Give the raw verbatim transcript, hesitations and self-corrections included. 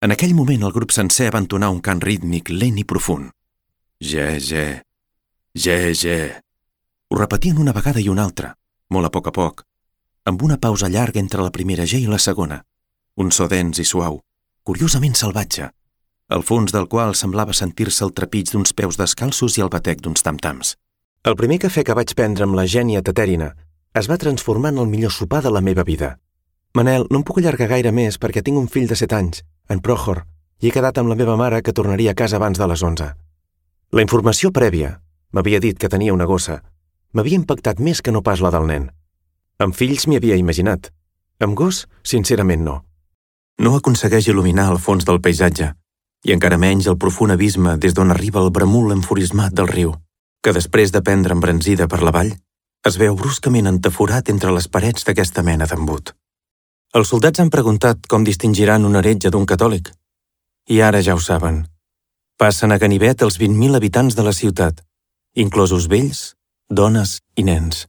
En aquell moment el grup sencer va entonar un cant rítmic lent i profund. Ge, ge, ge, ge. Ho repetien una vegada i una altra, molt a poc a poc, amb una pausa llarga entre la primera ge i la segona, un so dens i suau, curiosament salvatge, al fons del qual semblava sentir-se el trepig d'uns peus descalços i el batec d'uns tam-tams. El primer cafè que vaig prendre amb la gènia Tetèrina es va transformar en el millor sopar de la meva vida. Manel, no em puc allargar gaire més perquè tinc un fill de set anys, en Prohor, i he quedat amb la meva mare que tornaria a casa abans de les onze. La informació prèvia, m'havia dit que tenia una gossa, m'havia impactat més que no pas la del nen. Amb fills m'hi havia imaginat. Amb gos, sincerament no. No aconsegueix il·luminar el fons del paisatge, i encara menys el profund abisme des d'on arriba el bramul enfurismat del riu, que després de prendre embranzida per la vall, es veu bruscament entaforat entre les parets d'aquesta mena d'embut. Els soldats han preguntat com distingiran un heretge d'un catòlic. I ara ja ho saben. Passen a ganivet els vint mil habitants de la ciutat, inclosos vells, dones i nens.